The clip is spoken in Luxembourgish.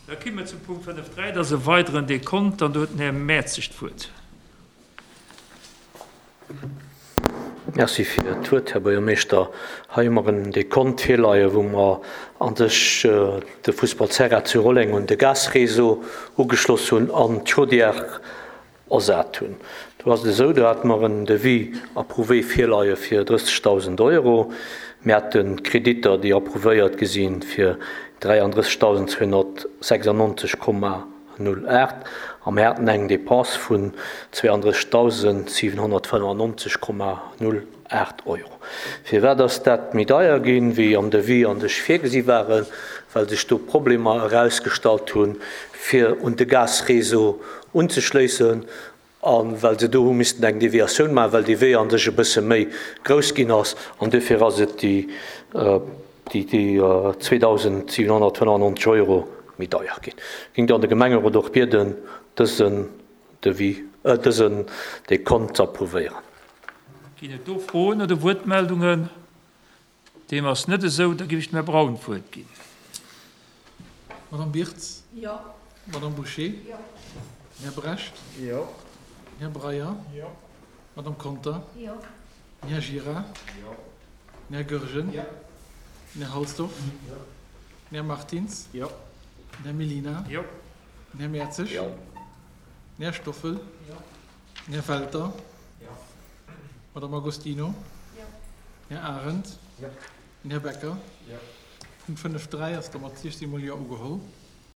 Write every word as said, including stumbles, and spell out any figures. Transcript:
Da komme mer zum Punkt fënnef dräi, dat ass e weideren Dekont, an do huet den Här Mertzig d'Wuert. Merci fir d'Wuert, Här Buergermeeschter. Hei hu mer en Dekont virleien, wou mer a sech de Fussballterrain zu Rolleng un de Gasréseau ugeschloss hunn an d'Chaudière ersat hunn. Do ass et esou, do hate mer en Devis approuvé virleie fir drëssegdausend Euro. Mir hate Kreditter, déi approuvéiert gi si fir dräiandrëssegdausend zweehonnertsechsundneunzeg Komma null aacht a mir haten eng Dépense vun zweeandrëssegdausend siwenhonnertfënnefundneunzeg Komma null aacht Euro. Firwat ass dat méi deier ginn, wéi am Devis an sech virgesi waren? Well sech do Problemer erausgestallt hunn, fir un de Gasréseau unzeschléissen a well se do hu missten eng Deviatioun maachen, well dee Wee an sech e bësse méi grouss ginn ass. An dofir ass et déi déi zweedausendsiewenhonnertfënnefundneunzeg Euro méi deier ginn. Géing dann de Gemengerot och bieden, dësen Devis, äh, dësen Dekont ze approuvéieren. Ginn et do Froen oder Wuertmeldungen? Deem ass net esou, da géif ech dem Här Braun d'Wuert ginn. Madame Birtz? Jo. Madame Bouché? Jo. Här Brecht? Jo. Här Breyer? Jo. Madame Conter? Jo. Här Gira? Jo. Här Goergen? Jo. Här Halsdorf? Jo. Här Martins? Jo. Här Mellina? Jo. Här Mertzig? Jo. Här Stoffel? Jo. Här Welter? Jo. Madame Agostino? Jo. Här Arendt? Jo. Här Becker? Jo. Punkt fënnef dräi ass da mat siechzéng mol Jo ugeholl.